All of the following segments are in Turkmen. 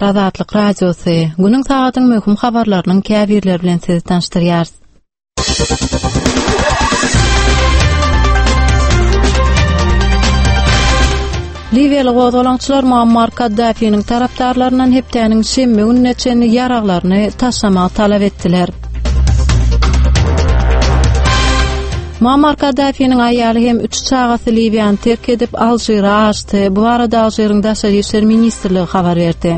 gepleýär Azatlyk Radiosy. Günüň sagadyň möhüm habarlarynyň käbirleri bilen sizi tanyşdyrýarys. Liwiýaly gozgalaňçylar Muammar Kaddafiniň tarapdarlaryndan hepdäniň şenbe gününe çenli ýaraglaryny taşlamagy talap etdiler. Muammar Kaddafiniň aýaly hem üç çagasy Liwiýany terk edip, Alžire aşdy. Bu barada Alžiriň Daşary işler ministrligi habar berdi.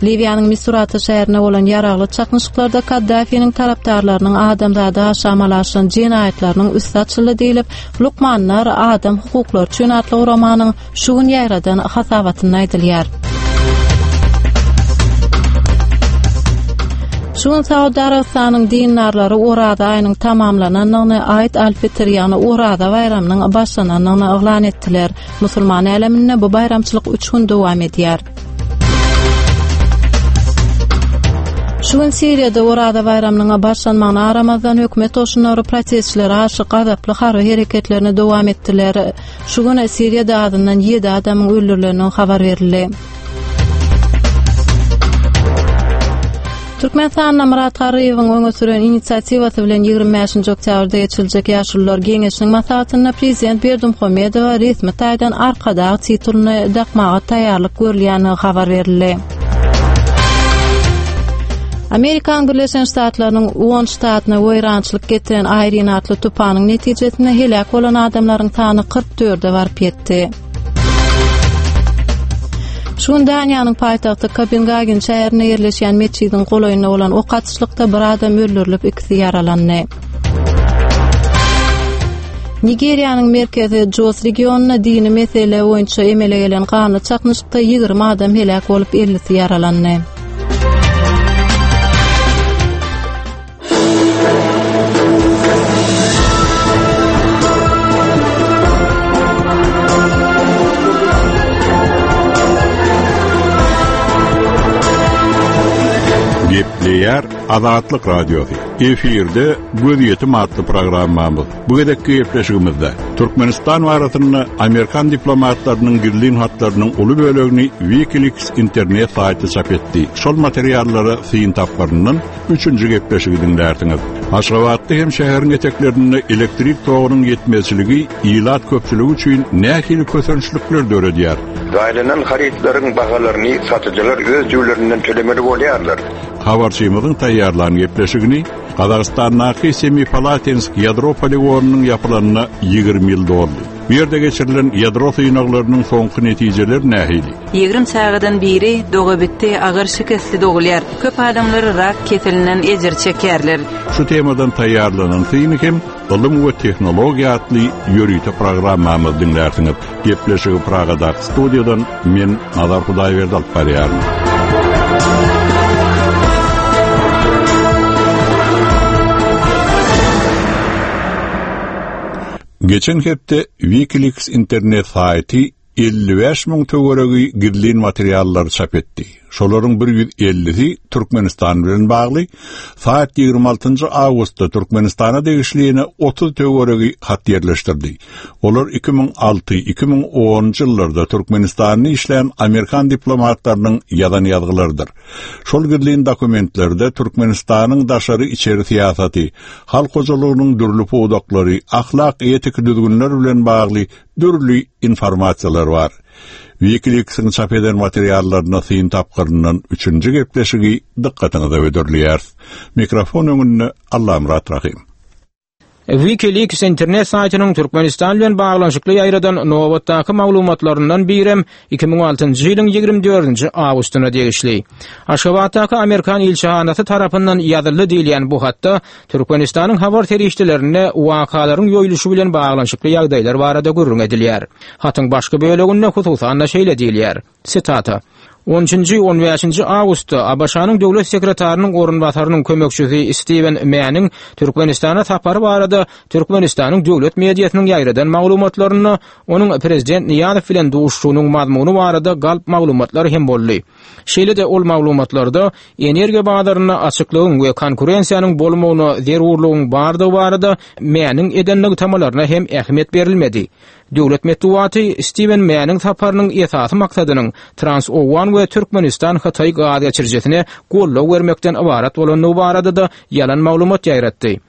Liwiýanyň Misurata şäherinde bolan ýaragly çaknyşyklarda Kaddafiniň tarapdarlarynyň adamzada garşy amala aşyran jenaýatlarynyň üsti açyldy diýlip, Lukmanlar adam hukuklary üçin atly guramanyň şu gün ýaýradan hasabatynda aýdylýar. Şu gün Saud Arabystanyň dindarlary Oraza aýynyň tamamlanandygyny, Aýd al-Fitr, ýagny Oraza baýramynyň başlanandygyny yglan etdiler. Musulman äleminde bu baýramçylyk üç gün dowam edýär. Şu gün Siriýada Oraza baýramynyň başlanmagyna garamazdan, hökümet goşunlary protestçilere garşy gazaply harby hereketlerini dowam etdiler. Şu gün Siriýada azyndan ýedi adamyň öldürilendigi habar berildi. Türkmenistanda Myrat Garryýewiň öňe süren inisiatiwasy bilen 25-nji oktýabrda geçiriljek Ýaşulular geňeşiniň maslahatynda prezident Berdimuhamedowa resmi taýdan Arkadag titulyny dakmaga taýýarlyk görülýändigi habar berildi. Amerikanyň Birleşen Ştatlarynyň on ştatyna weýrançylyk getiren Aýrin atly tupanyň netijesinde heläk bolan adamlaryň sany 44-e baryp ýetdi. Şu gün Daniýanyň paýtagty Kopengagen şäherinde ýerleşýän metjidiň golaýynda bolan ok atyşlykda bir adam öldürilip, ikisi ýaralandy. Nigeriýanyň merkezi Jos regionynda dini mesele boýunça emele gelen ganly çaknyşykda 20 adam heläk bolup, 50-si ýaralandy. Gepleýär Azatlyk Radiosy. Efirde Gözýetim atly programmamyz. Bu gezekki gepleşigimizde Türkmenistan barasynda amerikan diplomatlarynyň gizlin hatlarynyň uly bölegini WikiLeaks internet saýty çap etdi. Şol materiallara syn tapgyryndan Üçünji gepleşigi diňlärsiňiz. Aşgabatda hem şäheriň eteklerinde elektrik togunyň ýetmezçiligi ilat köpçüligi üçin nähili kösençlikler döredýär? Zaýalanan harytlaryň bahalaryny satyjylar öz jübülerinden tölemeli bolýarlar. Habarçymyzyň taýýarlan gepleşigini Gazagystandaky Semipalatinsk ýadro poligonynyň ýapylanyna 20 ýyl doldy. Bu ýerde geçirilen ýadro synaglarynyň soňky netijeleri nähili? 20 çagadan biri dogabitdi agyr şikesli dogulýar. Köp adamlar rak keselinden ejir çekýärler. Şu temadan taýýarlanan syny hem Ylym we tehnologiýa atly ýörite programmamyzda diňlärsiňiz. Gepleşigi Pragadaky studiýadan men Nazar Hudaýberdi alyp barýaryn. Geçen hepde WikiLeaks internet saýty 55 müň töweregi gizlin materiallary çap etdi. Şolaryň 150-si Türkmenistan bilen bagly. Saýt 26-njy awgustda Türkmenistana degişli ýene 30 töweregi hat ýerleşdirdi. Olar 2006, 2010-njy ýyllarda Türkmenistanda işlän amerikan diplomatlarynyň ýazan ýazgylarydyr. Şol gizlin dokumentlerde Türkmenistanyň daşary-içeri syýasaty, halk hojalygynyň dürli pudaklary, ahlak-etiki düzgünler bilen bagly dürli informasiýalar bar. WikiLeaks-iň çap eden materiallaryna syn tapgyryndan üçünji gepleşigi dykgatyňyza hödürleýäris. Mikrofon öňünde Allamyrat Rahym. WikiLeaks internet saýtynyň Türkmenistan bilen baglanyşykly ýaýradan nobatdaky maglumatlaryndan birem 2006-njy ýylyň 24-nji awgustyna degişli. Aşgabatdaky amerikan ilçihanasy tarapyndan ýazyldy diýilýän bu hatda Türkmenistanyň habar serişdelerinde wakalaryň ýoýluşy bilen baglanyşykly ýagdaýlar barada gürrüň edilýär. Hatyň başky böleginde hususan-da şeýle diýilýär, sitata, On üçünji, on bäşinji awgustda ABŞ-nyň Döwlet sekretarynyň orunbasarynyň kömekçisi Stiwen Mäniň Türkmenistana sapary barada Türkmenistanyň döwlet mediasynyň ýaýradan maglumatlarynda onuň prezident Nyýazow bilen duşuşygynyň mazmuny barada galp maglumatlar hem boldy. Şeýle-de ol maglumatlarda energiýa bazarynda açyklygyň we konkurensiýanyň bolmagyna zerurlygyň bardygy barada Mäniň eden nygtamalaryna hem ähmiýet berilmedi. Döwlet metbugaty Stiwen Mäniň saparynyň esasy maksadynyň Trans-Owgan we Türkmenistan-Hytaý gaz geçirijisine goldaw bermekden ybarat bolandygy barada-da ýalan maglumat ýaýratdy.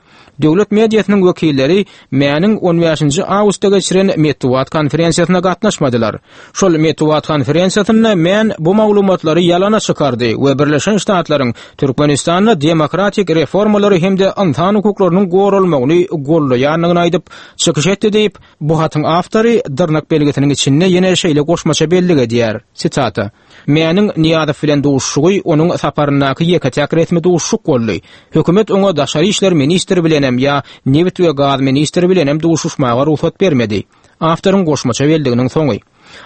Döwlet mediasynyň wekilleri Mäniň on bäşinji awgustda geçiren metbugat konferensiýasyna gatnaşmadylar. Şol metbugat konferensiýasynda Män bu maglumatlary ýalana çykardy we Birleşen Ştatlaryň Türkmenistanda demokratik reformalary hem-de ynsan hukuklarynyň goralmagyny goldaýandygyny aýdyp, çykyş etdi diýip, bu hatyň awtory dyrnak belgisiniň içinde ýene şeýle goşmaça bellik edýär, sitata, Mäniň Nyýazow bilen duşuşygy onuň saparyndaky ýeke-täk resmi duşuşyk boldy. Hökümet oňa daşary işler ministri bilenem ýa nebit we gaz ministri bilenem duşuşmaga rugsat bermedi. Awtoryň goşmaça belliginiň soňy.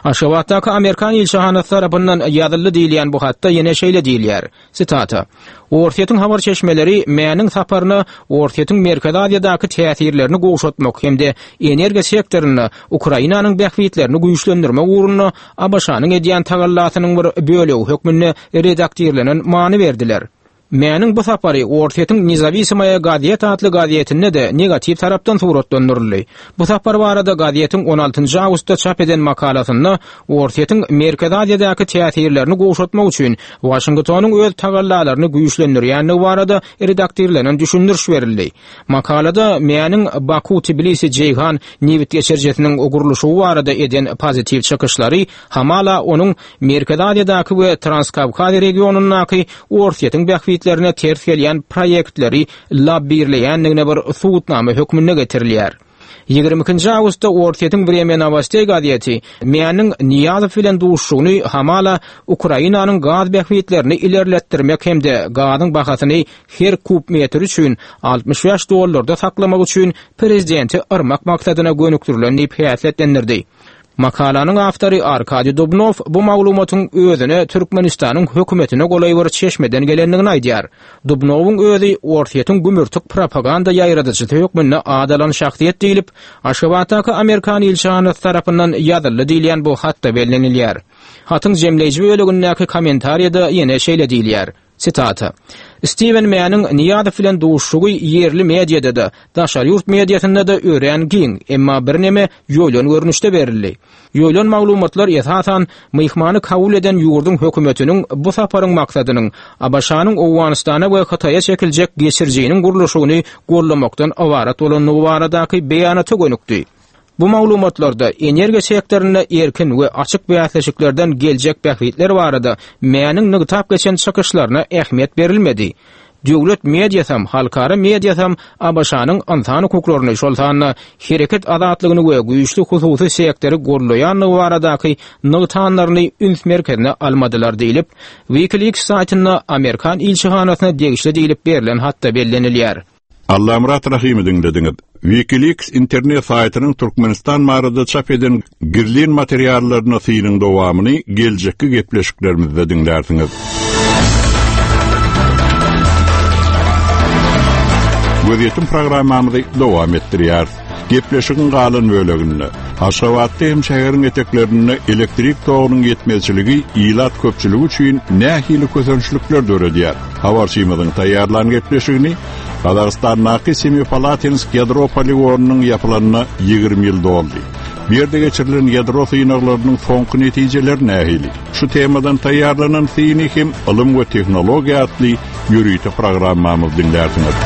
Aşgabatdaky amerikan ilçihanasy tarapyndan ýazyldy diýilýän bu hatda ýene şeýle diýilýär, sitata, Orsýetiň habar çeşmeleri Mäniň saparyna Orsýetiň Merkezi Aziýadaky täsirlerini gowşatmak hem-de energiýa sektorynda Ukrainanyň bähbitlerini güýçlendirmek ugrunda ABŞ-nyň edýän tagallasynyň bir bölegi hökmünde redaktirlenen many berdiler. Mäniň bu sapary Orsýetiň Nezawisimoýa gazeta atly gazetinde-de negatiw tarapdan suratlandyryldy. Bu sapar barada gazetiň on altynjy awgustda çap eden makalasynda Orsýetiň Merkezi Aziýadaky täsirlerini gowşatmak üçin Waşingtonyň öz tagallalaryny güýçlendirýändigi barada redaktirlenen düşündiriş berildi. Makalada Mäniň Baku-Tbilisi-Jeýhan nebit geçirijisiniň gurluşygy barada eden pozitiw çykyşlary hamala onuň Merkezi Aziýadaky we Transkawkaz regionyndaky Orsýetiň bähbitlerine ters gelýän proýektleri lobbirleýändigine bir subutnama hökmünde getirilýär. 22-nji awgustda Orsýetiň Wremýa Nowosteý gazeti Mäniň Nyýazow bilen duşuşygyny hamala Ukrainanyň gaz bähbitlerini ilerletdirmek hem-de gazyň bahasyny her kub metr üçin 65 dollarda saklamak üçin prezidenti yrmak maksadyna gönükdirilen diýip häsiýetlendirdi. Makalanyň awtory Arkadiý Dubnow bu maglumatyň özüne Türkmenistanyň hökümetine golaý bir çeşmeden gelendigini aýdýar. Dubnowyň özi Orsýetiň gümürtik propaganda ýaýradyjysy hökmünde at alan şahsyýet diýlip, Aşgabatdaky amerikan ilçihanasy tarapyndan ýazyldy diýilýän bu hatda bellenilýär. Hatyň jemleýji bölegindäki kommentariýada ýene şeýle diýilýär. Sitata. Stiwen Mäniň Nyýazow bilen duşuşygy ýerli mediada-da, daşary ýurt mediasynda-da örän giň, emma birneme ýoýlan görnüşde berildi. Ýoýlan maglumatlar esasan myhmany kabul eden ýurduň hökümetiniň bu saparyň maksadynyň ABŞ-nyň Owganystana we Hytaýa çekiljek geçirijiniň gurluşygyny goldamakdan ybarat bolandygy baradaky beýanata gönükdi. Bu maglumatlarda energiýa sektorynda erkin we açyk bäsleşiklerden geljek bähbitler barada Mäniň nygtap geçen çykyşlaryna ähmiýet berilmedi. Döwlet mediasam, halkara mediasam ABŞ-nyň ynsan hukuklaryny, şol sanda hereket azatlygyny we güýçli hususy sektory goldaýandygy baradaky nygtanlaryny üns merkezine almadylar diýlip, WikiLeaks saýtynda amerikan ilçihanasyna degişli diýlip berlen hatda bellenilýär. Allamyrat Rahymy diňlediňiz. WikiLeaks internet saýtynyň Türkmenistan barada çap eden gizlin materiallaryna synyň dowamyny geljekki gepleşiklerimizde diňlärsiňiz. Gözýetim programmamyzy dowam etdirýäris. Gepleşigiň galan böleginde Aşgabatda hem şäheriň eteklerinde elektrik togunyň ýetmezçiligi ilat köpçüligi üçin nähili kösençlikler döredýär? Habarçymyzyň taýýarlan gepleşigini Gazagystandaky Semipalatinsk ýadro poligonynyň ýapylanyna 20 ýyl doldy. Bu ýerde geçirilen ýadro synaglarynyň soňky netijeleri nähili? Şu temadan taýýarlanan syny hem Ylym we tehnologiýa atly ýörite programmamyz diňlärsiňiz.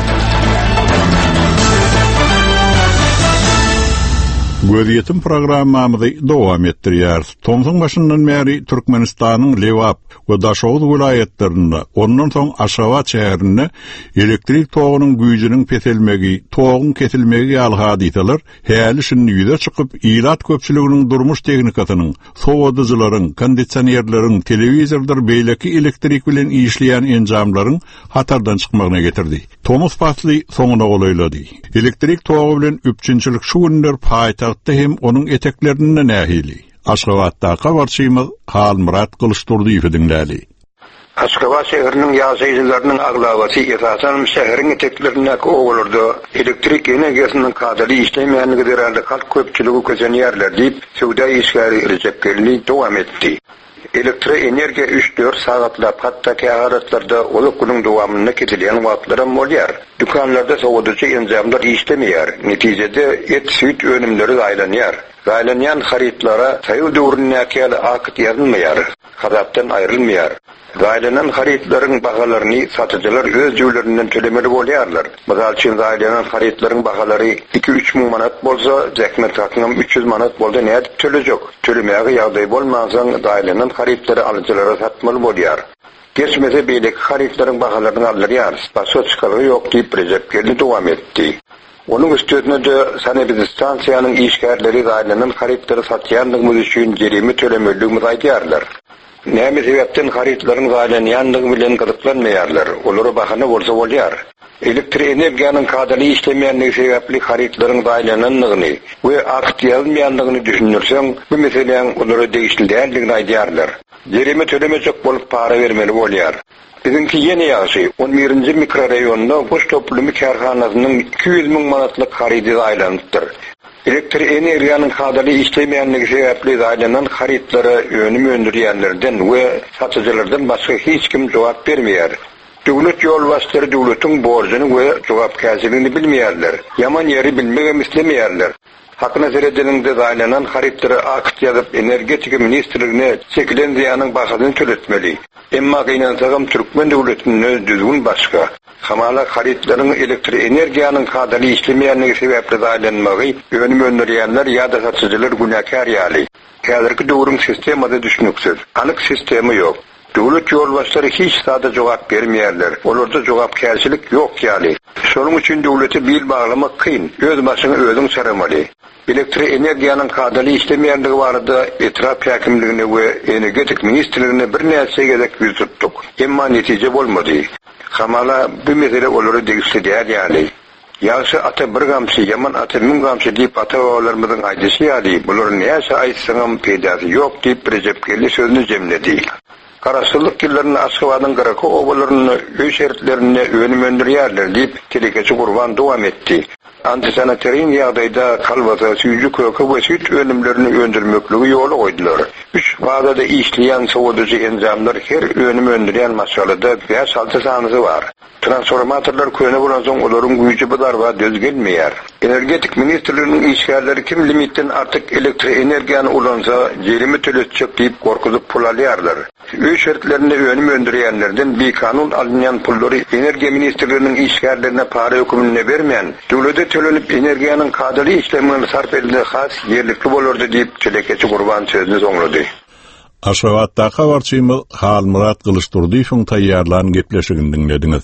Gözýetim programmamyzy dowam etdirýäris. Tomsuň başyndan bäri Türkmenistanyň Lebap, we Daşoguz welaýatlarynda, ondan soň Aşgabat şäherinde elektrik togunyň güýjüniň peselmegi, toguň kesilmegi ýaly hadysalar häli-şindi ýüze çykyp, ilat köpçüliginiň durmuş tehnikasynyň, sowadyjylaryň, kondisionerleriň, telewizordyr beýleki elektrik bilen işleýän enjamlaryň hatardan çykmagyna getirdi. Tomus pasly soňuna golaýlady. Elektrik togy bilen üpjünçilik şu günler paýtagtda hem onuň eteklerinde nähili? Aşgabatdaky habarçymyz Halmyrat Gylyçdurdyýewi diňläli. Aşgabat şäheriniň ýaşaýjylarynyň aglabasy, esasanam şäheriň eteklerindäki obalarda elektrik energiýasynyň kadaly işlemeýänligi zerarly halk köpçüligi kösenýärler diýip, söwda işgäri Rejep Geldi dowam etdi. Elektroenergiýa üç-dört sagatlap, hatda kähalatlarda uzak günüň dowamynda kesilýän wagtlaram bolýar. Dükanlarda sowadyjy enjamlar işlemeýär. Netijede, et-süýt önümleri zaýalanýar. Zaýlanýan harytlara soýuz döwründäki ýaly akt ýazylmaýar, hasapdan aýrylmaýar. Zaýlanan harytlaryň bahalaryny satyjylar öz jübülerinden tölemeli bolýarlar. Mysal üçin, zaýlanan harytlaryň bahalary iki-üç müň manat bolsa, zähmet hakyňam 300 manat bolsa nädip tölejek? Tölemäge ýagdaý bolmansoň, zaýlanan harytlary alyjylara satmaly bolýar. Geçmese beýleki harytlaryň bahalaryny galdyrýarys. Başga çykalga ýok diýip, Rejepgeldi dowam etdi. Onuň üstesine-de, sanepidstansiýanyň işgärleri zaýlanan harytlary satýandygymyz üçin jerime tölemelidigimizi aýdýarlar. Näme sebäpden harytlaryň zaýlanýandygy bilen gyzyklanmaýarlar, olara bahana bolsa bolýar. Elektroenergiýanyň kadaly işlemeýändigi sebäpli harytlaryň zaýlanandygyny we akt ýazylmaýandygyny düşündirseň, bu meseläň olara degişli däldigini aýdýarlar. Jerime tölemejek bolup para bermeli bolýar. Biziňki ýene ýagşy, on birinji mikroraýonda guş toplumy kärhanasynyň 200 müň manatlyk harydy zaýalanypdyr. Elektroenergiýanyň kadaly işlemeýänligi sebäpli zaýalanan harytlara önüm öndürýänlerden we satyjylardan başga hiç kim jogap bermeýär. Döwlet ýolbaşçylary döwletiň borjuny we jogapkärçiligini bilmeýärler. Ýaman ýeri bilmegem islemeýärler. Hakyna seredeniňde zaýalanan harytlara akt ýazyp Energetika ministrligine çekilen zyýanyň bahasyny töletmeli. Emma gynansagam türkmen döwletinde düzgün başga. Hamala harytlaryň elektroenergiýanyň kadaly işlemeýänligi sebäpli zaýalanmagy önüm öndürýänler ýa-da satyjylar günäkär ýaly. Häzirki döwrüň sistemasy düşnüksiz. Anyk sistema ýok. Döwlet ýolbaşçylary hiç zada jogap bermeýärler. Olarda jogapkärçilik ýok ýaly. Şonuň üçin döwlete bil baglamak kyn. Öz başyňy özüň çaramaly. Elektroenergiýanyň kadaly işlemeýändigi barada etrap häkimligine we Energetik ministrligine birnäçe gezek ýüz tutduk. Emma netije bolmady. Hamala, bu mesele olara degişli däl ýaly. Ýagşy ata bir gamçy, ýaman ata müň gamçy diýip ata-babalarymyzyň aýdyşy ýaly, bulara näçe aýtsaňam peýdasy ýok diýip, Rejepgeldi sözüni jemledi. Garaşsyzlyk ýyllarynda Aşgabadyň gyraky obalarynda öý şertlerinde önüm öndürýärler diýip, telekeçi Gurban dowam etdi. Antisanitarin ýagdaýda kolbasa, süýji-köke we süýt önümlerini öndürmekligi ýola goýdular. Üç fazada işleýän sowadyjy enjamlar her önüm öndürýän maşgalada bäş-alty sanysy bar. Transformatorlar köne bolansoň olaryň güýji bu zarba döz gelmeýär. Energetik ministrliginiň işgärleri kim limitden artyk elektroenergiýany ulansa, jerime töletjek diýip gorkuzyp pul alýarlar. Öý şertlerinde önüm öndürýänlerden bikanun alynýan pullary Energiýa ministrliginiň işgärlerine para höküminde bermän, döwlete tölenip energiýanyň kadaly işlemegine sarp edilse has ýerlikli bolardy diýip, telekeçi Gurban sözüni soňlady. Aşgabatdaky habarçymyz Halmyrat Gylyçdurdyýewiň taýýarlan gepleşigini diňlediňiz.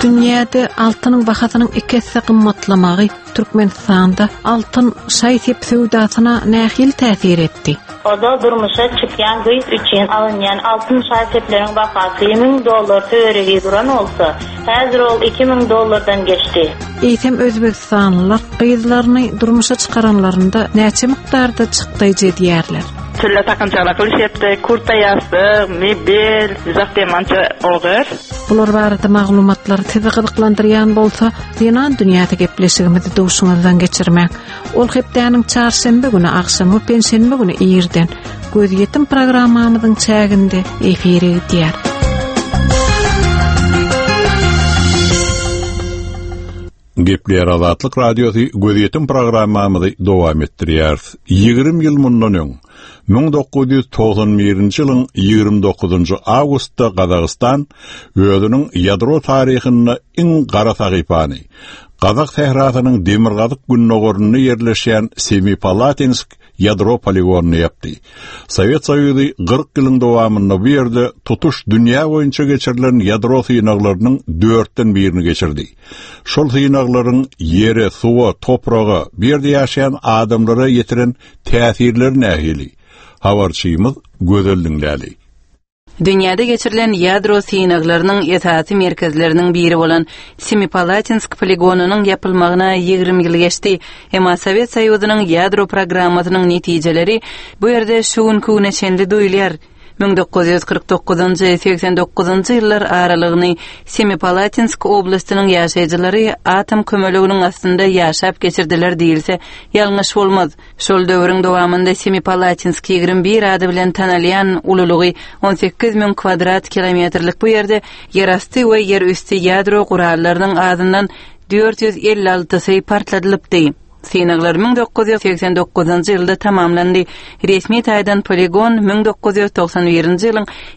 Dünýäde altynyň bahasynyň iki esse gymmatlamagy Türkmenistanda altyn şaý-sep söwdasyna nähili täsir etdi? Ozal durmuşa çykýan gyz üçin alynýan altyn şaý-sepleriň bahasy 1000 dollar töweregi duran bolsa, häzir ol 2000 dollardan geçdi. Eýsem özbegistanlylar gyzlaryny durmuşa çykaranlarynda näçe mukdarda çykdaýjy edýärler? Tülle takynçaklar gylyşypdy, kurta ýassyk, mebel, uzak ogür. Bular barada maglumatlar sizi gyzyklandyrýan bolsa, Zenan dünýäsi gepleşigimizi duşuňyzdan geçirmäň. Ol hepdäniň çarşenbe güni agşam we penşenbe güni irden Gözýetim programmamyzyň çäginde efire gidýär. Gepleýär Azatlyk Radiosy Gözýetim programmamyzy dowam etdirýäris. 20 ýyl mundan öň, 1991-nji ýylyň 29-njy awgustda Gazagystan özüniň ýadro taryhynda iň gara sahypany, Gazak sährasynyň demirgazyk-gündogarynda ýerleşýän Semipalatinsk ýadro poligonyny ýapdy. Sowet Soýuzy 40 ýylyň dowamynda bu ýerde tutuş dünýä boýunça geçirilen ýadro synaglarynyň dörtden birini geçirdi. Şol synaglaryň ýere, suwa, topraga, bu ýerde ýaşaýan adamlara ýetiren täsirleri nähili? Habarçymyz Gözel diňläli. Dünýäde geçirilen ýadro synaglarynyň esasy merkezleriniň biri bolan Semipalatinsk poligonynyň ýapylmagyna 20 ýyl geçdi. Emma Sowet Soýuzynyň ýadro programmasynyň netijeleri bu ýerde şu günki güne çenli duýulýar. 1949-njy, 89-njy ýyllar aralygyny Semipalatinsk oblastynyň ýaşaýjylary atom kömeleginiň astynda ýaşap geçirdiler diýilse, ýalňyş bolmaz. Şol döwrüň dowamynda Semipalatinsk 21 ady bilen tanalýan ululygy 18 müň kwadrat kilometrlik bu ýerde ýerasty we ýerüsti ýadro gurallarynyň azyndan. 456-sy partladylypdy. Synaglar 1989-njy ýylda tamamlandy. Resmi taýdan poligon 1991-nji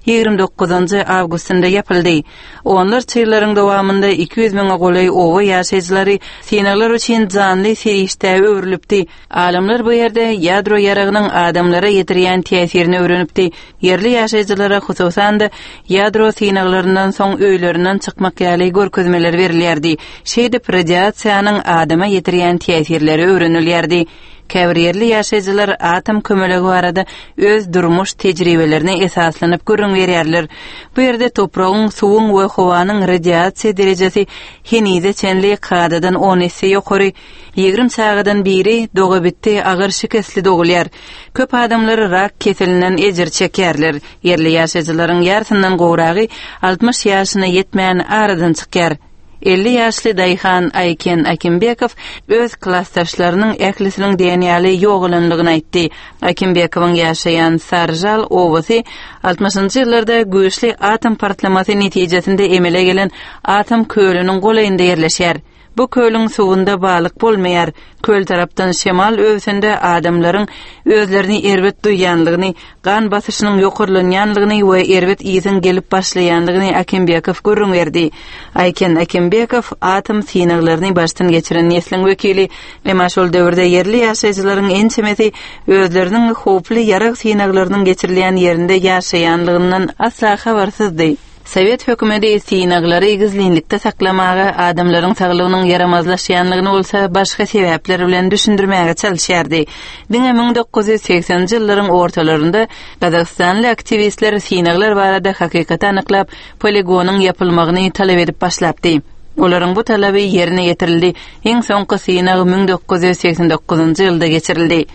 ýylyň 29-njy awgustynda ýapyldy. Onlarça ýyllaryň dowamynda 200 müňe golaý oba ýaşaýjylary synaglar üçin janly serişdä öwrülipdi. Alymlar bu ýerde ýadro ýaragynyň adamlara ýetirýän täsirini öwrenipdi. Ýerli ýaşaýjylara, hususan-da, ýadro synaglaryndan soň öýlerinden çykmak ýaly görkezmeler berilýärdi. Şeýdip, radiasiýanyň adama ýetirýän täsirleri öwrenilýärdi. Käbir ýerli ýaşaýjylar atom kömelegi barada öz durmuş tejribelerine esaslanyp gürrüň berýärler. Bu ýerde topragyň, suwuň we howanyň radiasiýa derejesi henize çenli kadadan on esse ýokary. 20 çagadan biri dogabitdi agyr şikesli dogulýar. Köp adamlar rak keselinden ejir çekýärler. Ýerli ýaşaýjylaryň ýarsyndan gowragy 60 ýaşyna ýetmän aradan çykýar. 50 ýaşly daýhan Aýken Akimbekow öz klasdaşlarynyň ählisiniň diýen ýaly ýogalandygyny aýtdy. Akimbekowyň ýaşaýan Saržal obasy 60-njy ýyllarda güýçli atom partlamasy netijesinde emele gelen atom kölüniň golaýynda ýerleşýär. Bu kölüň suwunda balyk bolmaýar. Köl tarapdan şemal öwsende adamlaryň özlerini erbet duýýanlygyny, gan basyşynyň ýokarlanýanlygyny we erbet ysyň gelip başlaýanlygyny Akimbekow gürrüň berdi. Aýken Akimbekow atom synaglaryny başdan geçiren nesliň wekili. Emma şol döwürde ýerli ýaşaýjylaryň ençemesi özleriniň howply ýarag synaglarynyň geçirilýän ýerinde ýaşaýanlygyndan asla habarsyzdy. Sowet hökümeti synaglary gizlinlikde saklamaga, adamlaryň saglygynyň ýaramazlaşýanlygyny bolsa başga sebäpler bilen düşündirmäge çalyşýardy. Diňe 1980-nji ýyllaryň ortalarynda gazagystanly aktiwistler synaglar barada hakykaty anyklap, poligonyň ýapylmagyny talap edip başlapdy. Olaryň bu talaby ýerine ýetirildi, iň soňky synag 1989-njy ýylda geçirildi.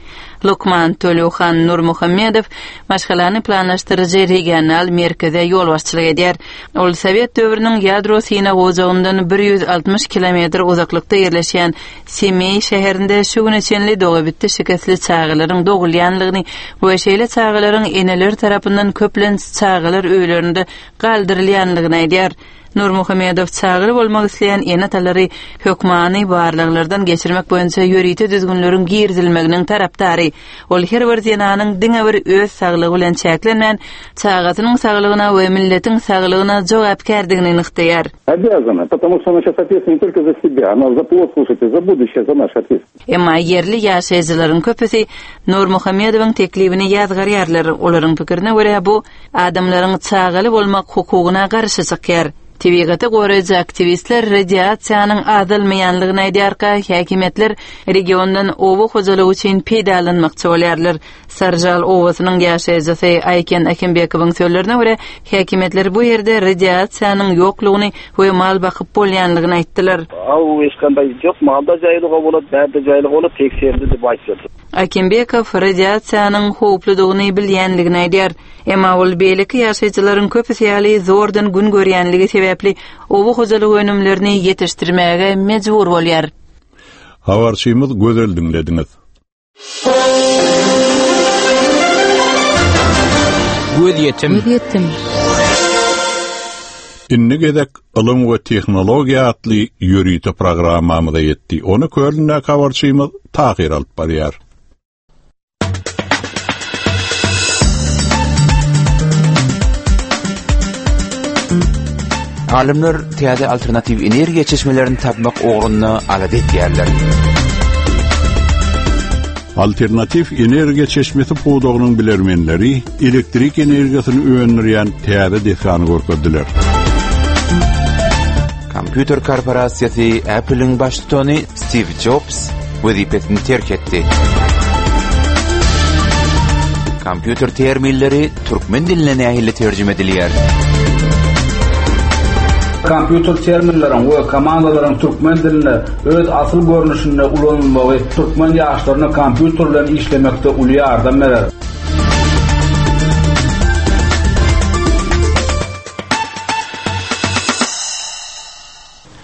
Lukman Töleuhan Nurmuhammedow maşgalany planlaşdyryjy regional merkeze ýolbaşçylyk edýär. Ol sowet döwrüniň ýadro synag ojagyndan 160 kilometr uzaklykda ýerleşýän Semeý şäherinde şu güne çenli dogabitdi şikesli çagalaryň dogulýanlygyny we şeýle çagalaryň eneleri tarapyndan köplenç çagalar öýlerinde galdyrylýanlygyny aýdýar. Nurmuhammedow çagaly bolmak isleýän ene-atalary hökmany barlaglardan geçirmek boýunça ýörite düzgünleriň girizilmeginiň tarapdary. Ol her bir zenanyň diňe bir öz saglygy bilen çäklenmän, çagasynyň saglygyna we milletiň saglygyna jogapkärdigini nygtaýar. Обязана, потому что она сейчас ответственна не только за себя, она за плод, слушайте, за будущее, за наше ответственность. Emma ýerli ýaşaýjylaryň köpüsi Nurmuhammedowyň teklibini ýazgarýarlar. Olaryň pikirine görä, bu adamlaryň çagaly bolmak hukugyna garşy çykýar. Tebigaty goraýjy aktiwistler radiasiýanyň azalmaýanlygyny aýdýarka, häkimiýetler regiondan oba hojalygy üçin peýdalanmakçy bolýarlar. Saržal obasynyň ýaşaýjysy Aýken Akimbekowyň sözlerine görä, häkimiýetler bu ýerde radiasiýanyň ýoklugyny we mal bakyp bolýanlygyny aýtdylar. Aw eşkanday jok, mal da jaýlyga bolat, bär de jaýlyga bolat, tekserdi dip aýtýar. Akimbekow radiasiýanyň howpludygyny bilýänligini aýdýar. Emma ol beýleki ýaşaýjylaryň köpüsi ýaly zordan gün görýänligi sebäpli oba hojalyk önümlerini ýetişdirmäge mejbur bolýar. Habarçymyz Gözel diňlediňiz. Gözýetim. Gözýetim. Indi gezek Ylym we tehnologiýa atly ýörite programmamyza ýetdi. Ony Kölündäki habarçymyz Tahyr alyp barýar. Alymlar täze alternatiw energiýa çeşmelerini tapmak ugrunda alada edýärler. Alternatiw energiýa çeşmesi pudagynyň bilermenleri elektrik energiýasyny öndürýän täze desgany görkezdiler. Kompýuter korporasiýasy Apple-iň baştutany Stiw Jobs wezipesini terk etdi. Kompýuter terminleri türkmen diline nähili terjime edilýär? Kompýuter terminleriň we komandalaryň türkmen dilinde öz asyl görnüşinde ulanylmagy türkmen ýaşlaryna kompýuter bilen işlemekde uly ýardam berer.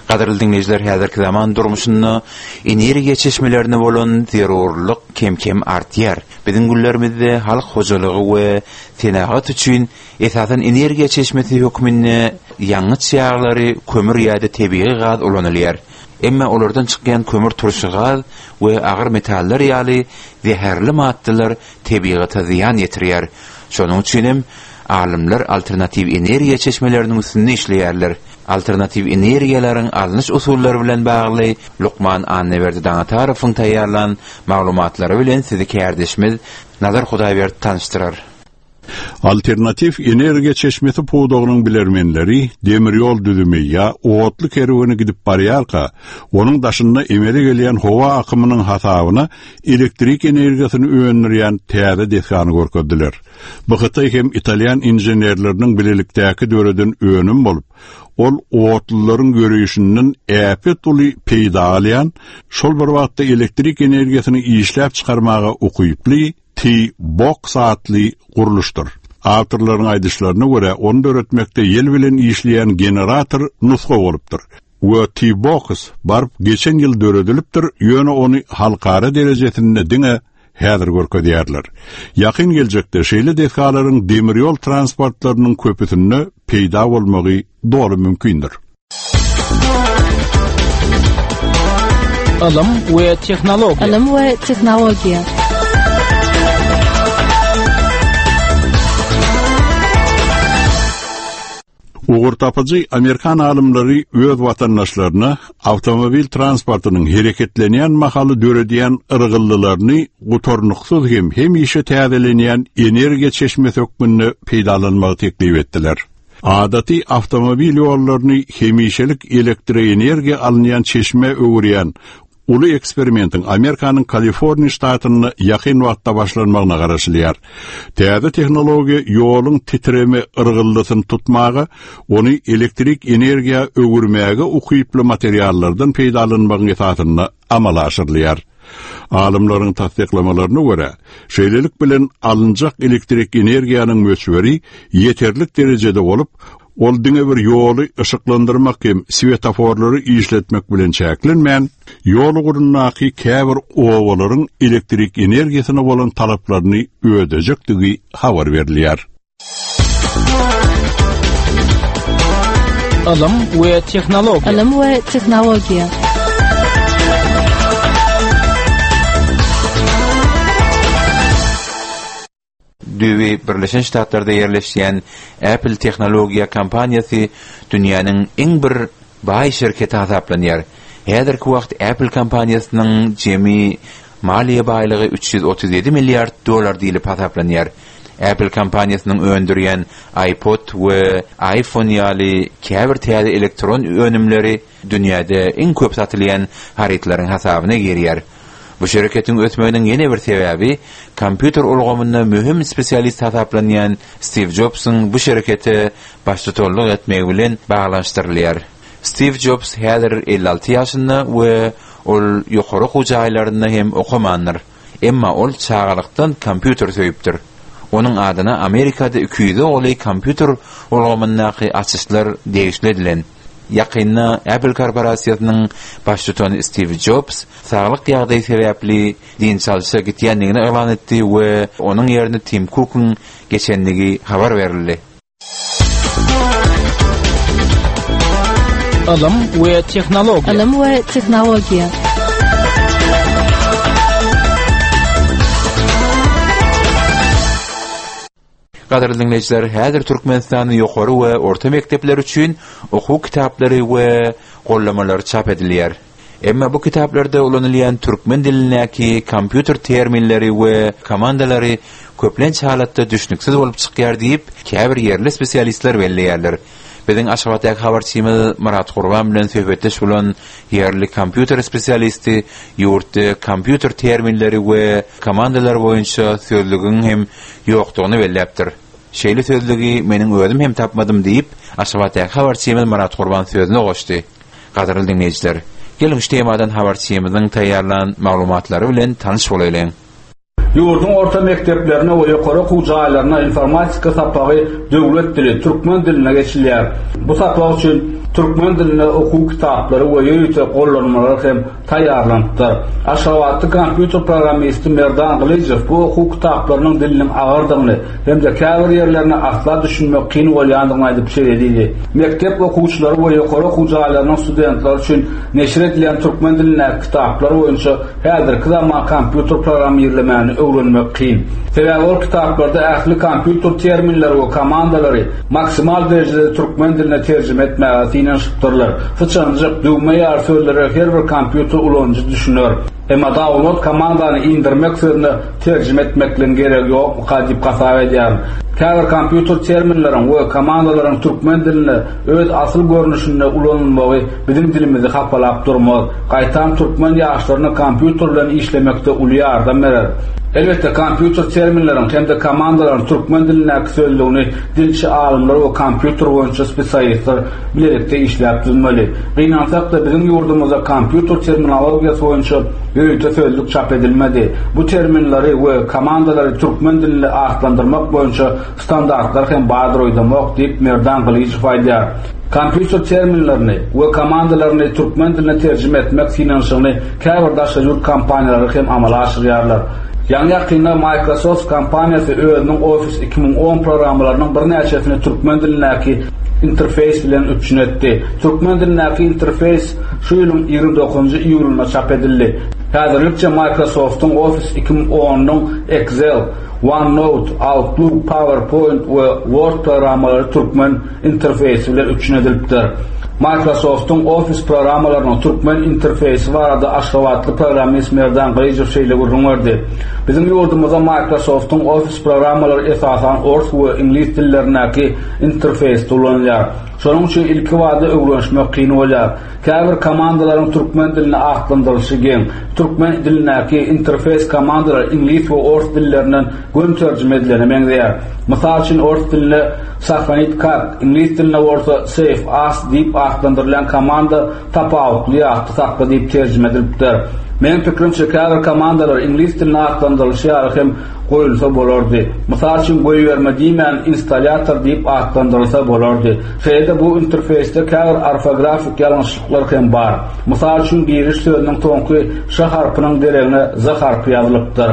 Gadyrly diňleýjiler, häzirki zaman durmuşynda energiýa çeşmelerine bolan zerurlyk kem-kem artýar. Biziň günlerimizde halk hojalygy we senagat üçin esasan energiýa çeşmesi hökmünde ýangyç ýaglary, kömür ýa-da tebigy gaz ulanylýar. Emma olardan çykýan kömür turşy gaz we agyr metallar ýaly zäherli maddalar tebigata zyýan ýetirýär. Şonuň üçin hem alymlar alternatiw energiýa çeşmeleriniň üstünde işleýärler. Alternatiw energiýalaryň alnyş usullary bilen bagly lukman Annaberdi Daňatarowyň taýýarlan maglumatlary bilen sizi kärdeşimiz Nazar Hudaýberdi tanyşdyrar. Alternatiw energiýa çeşmesi pudagynyň bilermenleri demir ýol düzümi ýa otly kerweni gidip barýarka, onuň daşynda emele gelýän howa akymynyň hasabyna elektrik energiýasyny öndürýän täze desgany görkezdiler. Bu hytaý hem italýan inženerleriniň bilelikdäki döreden önüm bolup, ol otlularyň ýöreýşinden äpet uly peýda alýan, şol bir wagtda elektrik energiýasyny işläp çykarmaga ukyply T-Box atly gurluşdyr. Awtorlaryň aýdyşlaryna görä, ony döretmekde ýel bilen işleýän generator nusga bolupdyr. We T-Box baryp geçen ýyl döredilipdir, ýöne ony halkara derejesinde diňe häzir görkezýärler. Ýakyn geljekde şeýle desgalaryň demir ýol transportlarynyň köpüsinde peýda bolmagy doly mümkindir. Ylym we tehnologiýa. Ylym we tehnologiýa. Ugurtapyjy amerikan alymlary öz watandaşlaryna awtomobil transportynyň hereketlenýän mahaly döredýän yrgyldylaryny gutarnyksyz hem hemişe täzelenýän energiýa çeşmesi hökmünde peýdalanmagy teklip etdiler. Adaty awtomobil ýollaryny hemişelik elektroenergiýa alynýan çeşmä öwürýän uly eksperimentiň Amerikanyň Kaliforniýa ştatynda ýakyn wagtda başlanmagyna garaşylýar. Täze tehnologiýa ýoluň titreme yrgyldysyny tutmaga, ony elektrik energiýa öwürmäge ukyply materiallardan peýdalanmagyň esasynda amala aşyrylýar. Alymlaryň tassyklamalaryna görä, şeýlelik bilen alynjak elektrik energiýanyň möçberi ýeterlik derejede bolup, ol diňe bir ýoly yşyklandyrmak hem swetoforlary işletmek bilen çäklenmän, ýol ugrundaky käbir obalaryň elektrik energiýasyna bolan talaplaryny ödejekdigi habar berilýär. Ylym we tehnologiýa. Ylym we tehnologiýa. Düýbi Birleşen Ştatlarda ýerleşýän Apple tehnologiýa kompaniýasy dünýäniň iň bir baý şirketi hasaplanýar. Häzirki wagt Apple kompaniýasynyň jemi maliýe baýlygy 337 milliard dollar diýlip hasaplanýar. Apple kompaniýasynyň öndürýän iPod we iPhone ýaly käbir täze elektron önümleri dünýäde iň köp satylýan harytlaryň hasabyna girýär. Bu şereketiň ösmeginiň ýene bir sebäbi, kompýuter ulgamynda möhüm spesialist hasaplanýan Stiw Jobsuň bu şerekete baştutanlyk etmegi bilen baglanyşdyrylýar. Stiw Jobs häzir 56 ýaşynda we ol ýokary okuw jaýlarynda hem okamandyr. Emma ol çagalykdan kompýuter söýüpdir. Onuň adyna Amerikada 200-e golaý kompýuter ulgamyndaky açyşlar degişli edilen. Ýakynda Apple korporasiýasynyň baştutany Stiw Jobs saglyk ýagdaýy sebäpli dynç alşa gitýändigini yglan etdi we onuň ýerine Tim Kukuň geçendigi habar berildi. Ylym we tehnologiýa. Ylym we tehnologiýa. Gadyrly diňleýjiler, häzir Türkmenistanda ýokary we orta mekdepler üçin okuw kitaplary we gollanmalary çap edilýär. Emma bu kitaplarda ulanylýan türkmen dilindäki kompýuter terminleri we komandalary köplenç halatda düşnüksiz bolup çykýar diýip, käbir ýerli spesialistler belleýärler. Biziň Aşgabatdaky habarçymyz Myrat Gurban bilen söhbetdeş bolan ýerli kompýuter spesialisti ýurtda kompýuter terminleri we komandalary boýunça sözlügiň hem ýokdugyny belläpdir. Şeýle sözlügi meniň özüm hem tapmadym diýip, Aşgabatdaky habarçymyz Myrat Gurban sözüne goşdy. Gadyrly diňleýjiler, geliň şu temadan habarçymyzyň taýýarlan maglumatlary bilen tanyş bolaýlyň. Ýurduň orta mekdeplerinde we ýokary okuw jaýlarynda informatika sapagy döwlet dili, türkmen dilinde geçilýär. Bu sapak üçin. Türkmen dilinde okuw kitaplary we ýörite gollanmalar hem taýýarlanypdyr. Aşgabatly kompýuter programmisti Merdan Gylyjow bu okuw kitaplarynyň diliniň agyrdygyny hem-de käbir ýerlerine asla düşünmek kyn bolýandygyny aýdyp şeýle diýdi, Mekdep okuwçylary we ýokary okuw jaýlarynyň studentleri üçin neşir edilýän türkmen dilindäki kitaplar boýunça Häzirki zaman kompýuter programmirlemäni öwrenmek kyn. Sebäbi ol kitaplarda ähli kompýuter terminleri we komandalary maksimal derejede türkmen diline terjime etmäge synanyşypdyrlar. Syçanjyk, düwme ýaly sözlere her bir kompýuter ulanyjy düşüner. Emma download komandany indirmek sözüne terjime etmekligiň geregi ýokmuka diýip hasap edýärin. Käbir kompýuter terminleriň we komandalaryň türkmen dilinde öz asyl görnüşinde ulanylmagy biziň dilimizi hapalap durmaz. Gaýtam türkmen ýaşlaryna kompýuter bilen işlemekde uly ýardam berer. Elbetde, kompýuter terminleriň hem-de komandalaryň türkmen dilindäki sözlügini dilçi alymlar we kompýuter boýunça spesialistler bilelikde işläp düzmeli. Gynansak-da, biziň ýurdumyzda kompýuter terminologiýasy boýunça ýörite sözlük çap edilmedi. Bu terminleri we komandalary türkmen dilinde atlandyrmak boýunça Standartlar hem bardyr öýdemok, diýip, Merdan Gylyjow aýdýar. Kompýuter terminlerini we komandalaryny türkmen diline terjime etmek synanyşygyny käbir daşary ýurt kompaniýalary hem amala aşyrýarlar. Ýaňy-ýakynda Microsoft kompaniýasy özüniň Office 2010 programmalarynyň birnäçesini türkmen dilindäki interfeýs bilen üpjün etdi. Türkmen dilindäki interfeýs şu ýylyň 29-njy iýulynda çap edildi. Häzirlikçe Microsoft-yň Office 2010-nyň Excel, OneNote, Outlook, PowerPoint we Word programmalary türkmen interfeýsi bilen üpjün edilipdir. Microsoft-yň Office programmalarynyň türkmen interfeýsi barada aşgabatly programmist Merdan Gylyjow şeýle gürrüň berdi, Biziň ýurdumyzda Microsoft-yň Office programmalary esasan ors we iňlis dillerindäki interfeýsde ulanylýar. Şonuň üçin ilkibada öwrenişmek kyn bolýar. Käbir komandalaryň türkmen dilinde atlandyrylyşy geň. Türkmen dilindäki interfeýs komandalar iňlis we ors dillerinden göni terjime edilene meňzeýär. Mysal üçin, ors dilinde Sahranit kak, iňlis dilinde bolsa Save as diýip atlandyrylýan komanda tapawutly ýatda sakla diýip terjime edilipdir. Meniň pikirimçe, käbir komandalar iňlis dilinde atlandyrylyşy ýaly hem goýulsa bolardy. Mysal üçin, goýberme diýmän, installýator diýip atlandyrylsa bolardy. Şeýle-de bu interfeýsde käbir orfografik ýalňyşlyklar hem bar. Mysal üçin, giriş sözüniň soňky ş harpynyň deregine z harpy ýazylypdyr.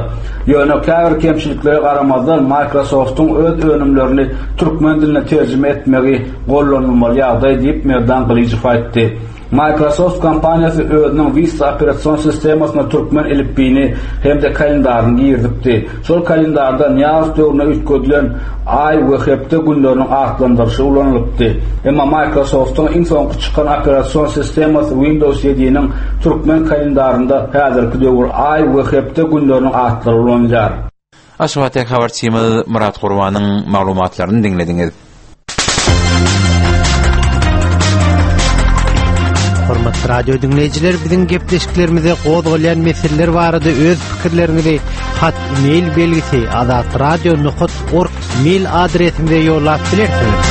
Ýöne käbir kemçiliklere garamazdan, Microsoft-yň öz önümlerini türkmen diline terjime etmegi gollanylmaly ýagdaý diýip, Merdan Gylyjow aýtdy. Microsoft kompaniýasy özüniň Vista operasion sistemasyna türkmen elipbiýini hem-de kalendaryny girizipdi. Şol kalendarda Nyýazow döwründe üýtgedilen aý we hepde günleriniň atlandyryşy ulanylypdy. Emma Microsoft-yň iň soňky çykan operasion sistemasy Windows ýediniň türkmen kalendarynda häzirki döwür aý we hepde günleriniň atlary ulanylýar. Aşgabatdaky habarçymyz Myrat Gurbanyň maglumatlaryny diňlediňiz. Hormatly radio diňleýjiler, biziň gepleşiklerimize gozgalýan meseleler barada öz pikirleriňizi hat mail belgisi azatradio.org mail adresimize ýollap bilersiňiz.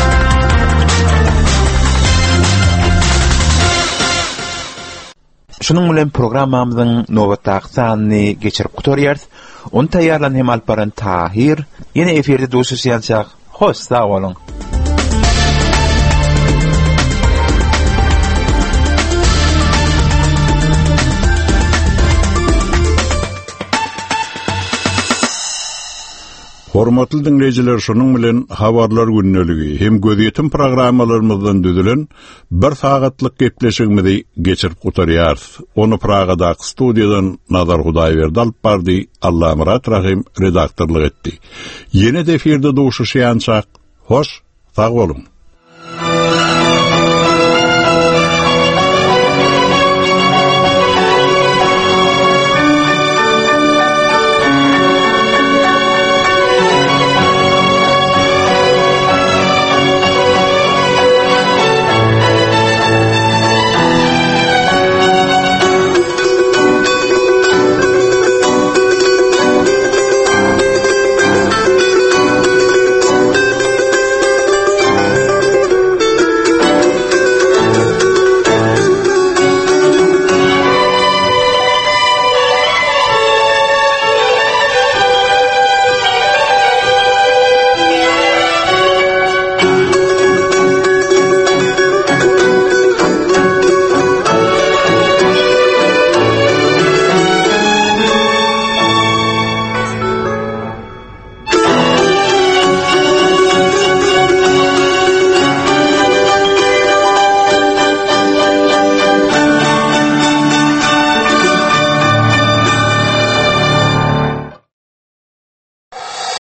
Şunuň bilen programmamyzyň nobatdaky sanyny geçirip gutarýarys. Ony taýýarlan hem alyp baran Tahyr. Ýene efirde duşuşýançak, hoş sag boluň! Hormatly diňleýjiler, şunuň bilen Habarlar gündeligi hem Gözýetim programmalarymyzdan düzülen Bir sagatlyk gepleşigimizi geçirip gutarýarys. Ony Pragadaky studiýadan Nazar Hudaýberdi alyp bardy, Allamyrat Rahym redaktorlyk etdi. Ýene-de efirde duşuşýançak, hoş, sag boluň!